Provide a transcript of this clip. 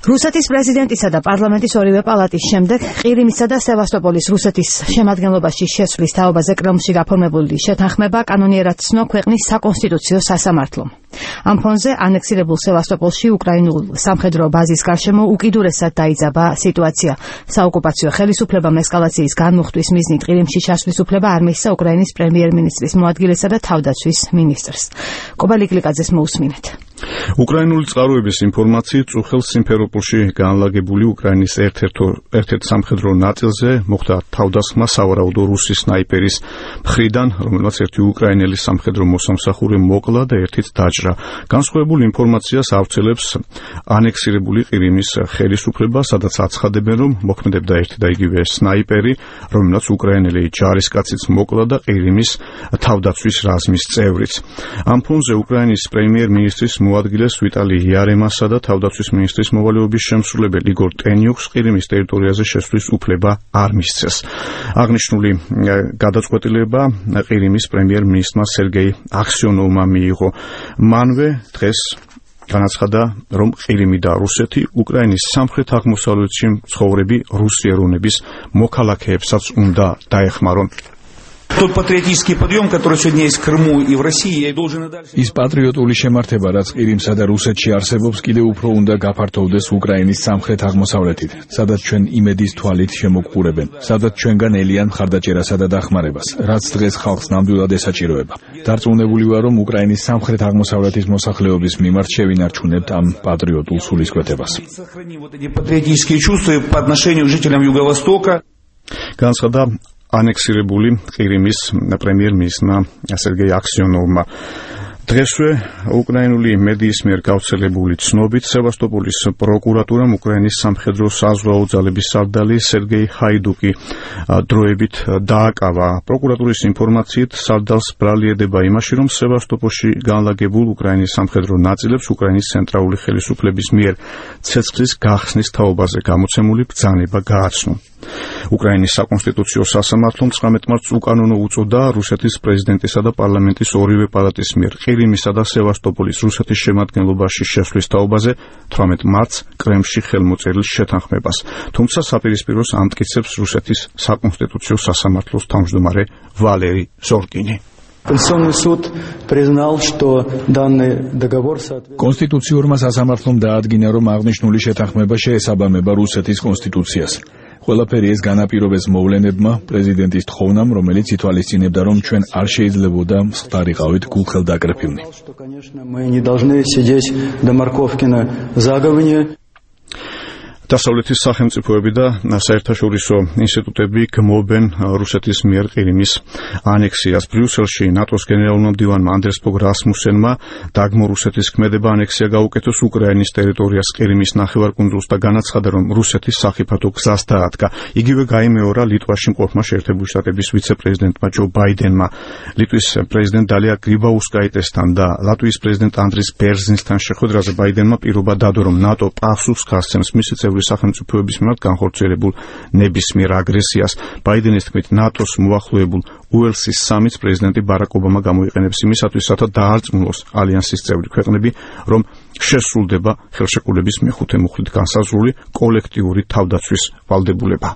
რუსეთის პრეზიდენტისა და პარლამენტის ორივე პალატის შემდეგ ყირიმისა და სევასტოპოლის რუსეთის შემადგენლობაში შესვლის თაობაზე კრემლში გაფორმებული შეთანხმება კანონიერად ცნო ქვეყნის საკონსტიტუციო სასამართლომ. ამ ფონზე ანექსირებულ სევასტოპოლში უკრაინულ სამხედრო ბაზის გარშემო უკიდურესად დაიძაბა სიტუაცია. საოკუპაციო ხელისუფლებამ ესკალაციის განმუხტვის მიზნით ყირიმში ჩასვლის უფლება არ მისცა უკრაინის პრემიერ-მინისტრის მოადგილესა და თავდაცვის მინისტრს. კობალი გლიკაძეს მოусმინეთ. უკრაინული წყაროების ინფორმაციით წუხელ სიმფეროპოლში განლაგებული უკრაინის ერთ-ერთ სამხედრო ნაწილზე მოხდა თავდასხმა სავარაუდო რუსი სნაიპერის მხრიდან, რომელმაც ერთი უკრაინელი სამხედრო მოსამსახური მოკლა და ერთით დაჭრა. განსხვავებულ ინფორმაციას ავრცელებს ანექსირებული ყირიმის ხელისუფლება, სადაც აცხადებენ, რომ მოქმედებდა ერთი და იგივე სნაიპერი, რომელმაც უკრაინელი ჯარისკაციც მოკლა და ყირიმის თავდაცვის რაზმის წევრიც. ამ ფონზე უკრაინის პრემიერ-მინისტრის მოადგილეს ვიტალი იარემასა და თავდაცვის მინისტრის მოვალეობის შემსრულებელ იგორ ტენიუქს ყირიმის ტერიტორიაზე შესვლის უფლება არ მისცეს. აღნიშნული გადაწყვეტილება ყირიმის პრემიერ-მინისტრმა სერგეი აქსიონოვმა მიიღო. მანვე დღეს განაცხადა, რომ ყირიმი და რუსეთი უკრაინის სამხრეთ აღმოსავლეთში მცხოვრები რუსი ეროვნების მოქალაქეებსაც უნდა დაეხმარონ. Тот патриотический подъем, который сегодня есть в Крыму и в России, я должен и дальше. Ის პატრიოტული შემართება, რაც ყირიმსა და რუსეთში არსებობს, კიდევ უფრო უნდა გაფართოვდეს უკრაინის სამხრეთ აღმოსავლეთით, სადაც ჩვენ იმედის თვალით შემოგყურებენ, სადაც ჩვენგან ელიან მხარდაჭერასა და დახმარებას, რაც დღეს ხალხს ნამდვილად ესაჭიროება. დარწმუნებული ვარ, რომ უკრაინის სამხრეთ აღმოსავლეთის მოსახლეობის მიმართ შევინარჩუნებთ ამ პატრიოტულ სულისკვეთებას. Сохраним вот эти патриотические чувства по отношению к жителям Юго-Востока. განაცხადა ანექსირებული ყირიმის პრემიერ-მინისტრმა სერგეი აქსიონოვმა. დღესვე უკრაინული მედიის მიერ გავრცელებული ცნობით სევასტოპოლის პროკურატურამ უკრაინის სამხედრო საზღვაო ძალების სარდალი სერგეი ჰაიდუკი დროებით დააკავა. პროკურატურის ინფორმაციით სარდალს ბრალი ედება იმაში, რომ სევასტოპოლში განლაგებულ უკრაინის სამხედრო ნაწილებს უკრაინის ცენტრალური ხელისუფლების მიერ ცეცხლის გახსნის თაობაზე გამოცემული ბრძანება გააცნო. უკრაინის საკონსტიტუციო სასამართლომ 19 მარტს უკანონო უწოდა რუსეთის პრეზიდენტისა და პარლამენტის ორივე პალატის მიერ ყირიმისა და სევასტოპოლის რუსეთის შემადგენლობაში შესვლის თაობაზე 18 მარტს კრემლში ხელმოწერილ შეთანხმებას. თუმცა საპირისპიროს ამტკიცებს რუსეთის საკონსტიტუციო სასამართლოს თავმჯდომარე ვალერი ზორკინი. Конституционный суд признал, что данный договор соответствует. კონსტიტუციურმა სასამართლომ დაადგინა, რომ აღნიშნული შეთანხმება შეესაბამება რუსეთის კონსტიტუციას. ყველაფერი ეს განაპირობეს მოვლენებმა, პრეზიდენტის თხოვნამ, რომელიც ითვალისწინებდა, რომ ჩვენ არ შეიძლებოდა მსხდარიყავით გულხელდაკრეფილნი. Что, конечно, мы не должны сидеть до морковки на заговне. დასავლეთის სახელმწიფოები და საერთაშორისო ინსტიტუტები გმობენ რუსეთის მიერ ყირიმის ანექსიას. ბრიუსელში ნატოს გენერალურმა მდივანმა ანდრეს ფოგ რასმუსენმა დაგმო რუსეთის ქმედება ანექსია გაუკეთოს უკრაინის ტერიტორიას ყირიმის ნახევარკუნძულს და განაცხადა, რომ რუსეთის სახიფათო გზას დაადგა. იგივე გაიმეორა ლიტვაში მყოფმა შეერთებული შტატების ვიცე-პრეზიდენტმა ჯო ბაიდენმა. ლიტვის პრეზიდენტ დალია გრიბაუსკაიტესთან და ლატვიის პრეზიდენტ ანდრის ბერზინსთან შეხვედრაზე ბაიდენმა პირობა დადო, რომ ნატო პასუხს გასცემს მისი სახელმწიფოების მიმართ განხორციელებულ ნებისმიერ აგრესიას. ბაიდენის თქმით, ნატოს მოახლოებულ უელსის სამიტს პრეზიდენტი ბარაკ ობამა გამოიყენებს იმისათვის, რათა დაარწმუნოს ალიანსის წევრი ქვეყნები, რომ შესრულდება ხელშეკრულების მეხუთე მუხლით განსაზღვრული კოლექტიური თავდაცვის ვალდებულება.